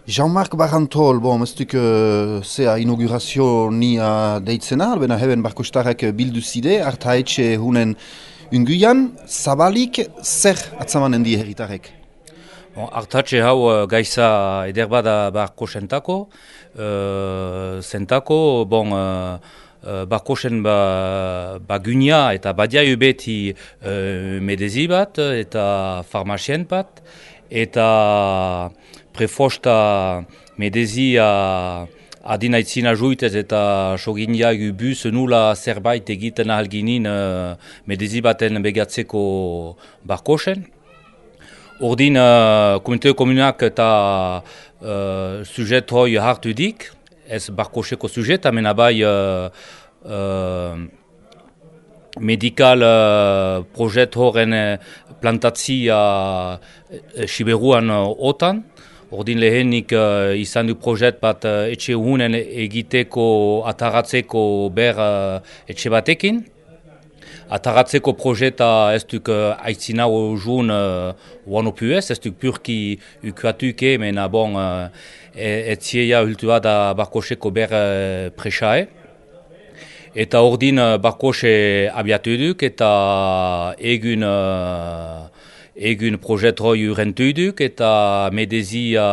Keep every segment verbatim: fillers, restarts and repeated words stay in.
Jean-Marc Barantol, bon, ez duk uh, zea inaugurazio nia deitzena, albena heben barkostarrak bildu zide, artaetxe hunen unguian, zabalik zer atzamanen die herritarrek? Bon, artatxe hau uh, gaiza eder bada barko sentako, uh, sentako, bon, uh, uh, barko sen ba, bagunia eta badiai beti uh, medezi bat eta farmacien bat, eta prefosta medezia adinaitzina juitez eta soginia bus nula zerbait egiten ahalginin uh, medezi baten begatzeko barkosen. Ordin uh, komunitatea komunak eta uh, sujet hoi hartu dik, ez barkoseko sujet, amena bai uh, uh, medikal uh, projet horren plantatzia uh, Siberuan uh, otan. Ordin lehenik uh, izan du projet bat uh, etxe hunen egiteko ataratzeko ber uh, etxe batekin. Ataratzeko projeta ez duk uh, aitzina hojun uh, uano puez, ez duk purki ukuatuke, mena bon uh, etzieia hultua da barkoseko ber uh, presae. Eta ordin uh, barkose abiatu duk eta egun uh, egun projet hoi urentu duk eta medezia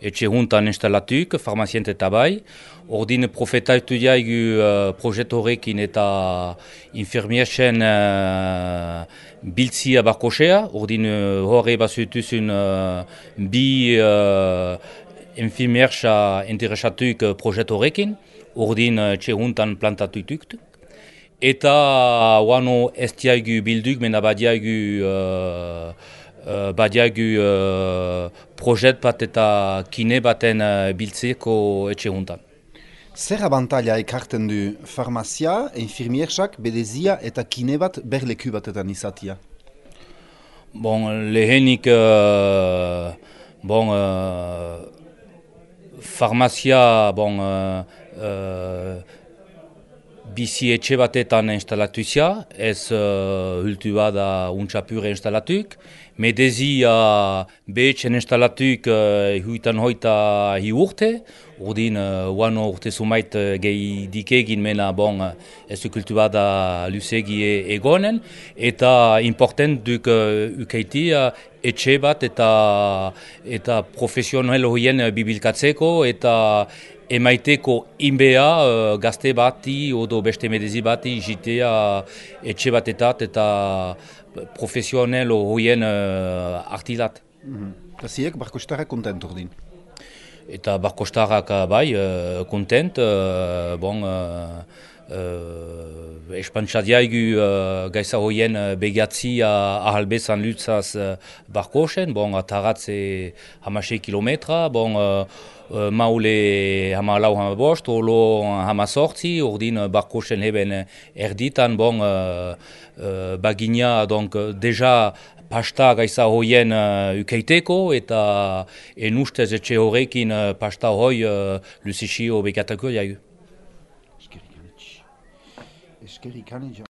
etxe huntan instalatuk, farmacient eta bai. Ordin profetatu jaigu uh, projet horrekin eta infirmiersen uh, biltzia barkosea. Ordin uh, horre basutuzun uh, bi uh, infirmiersa interesatuk uh, projet horrekin. Ordin uh, etxe huntan plantatutuk. Eta wano ez diaigu bilduk, mena badiaigu uh, uh, badiaigu uh, projet bat eta kine baten uh, biltzeko etxe huntan. Zer abantaila ekarten du farmazia, infirmiersak, bedezia eta kine bat berleku batetan izatia? Bon, lehenik uh, bon, uh, farmazia bon, uh, uh, bizi etxe batetan instalatuzia, ez uh, hultu bada untxapure instalatuk. Medezia behetzen instalatuk uh, huitan hoita hi urte. Ordin, uh, uano urte sumait uh, gehi dikegin mena bon uh, ez kultu bada lusegi egonen. Eta important duk uh, ukaiti uh, etxe bat eta, eta profesional horien bibilkatzeko eta emaiteko inbea uh, gazte bati odo beste medezi bati jitea etxe batetat eta profesional horien uh, artilat. Mm-hmm. Eta ziek barkostarrak kontent ordin? Eta barkostarrak bai, uh, kontent, uh, bon, uh, uh, espantzadiaigu uh, gaisa horien uh, begatzia ahalbezan lutzaz uh, barkosen, bon, ataratze hamasei kilometra, bon, uh, Uh, maule hama lau hama bost, olo hama sortzi, ordin uh, barkosen heben erditan, bon, uh, uh, bagina, donc, uh, deja pasta gaisa hoien uh, ukeiteko, eta enustez etxe horrekin uh, pasta hoi uh, lusixio bekatako jaigu. Eskerik anetxe. Eskerik anetxe.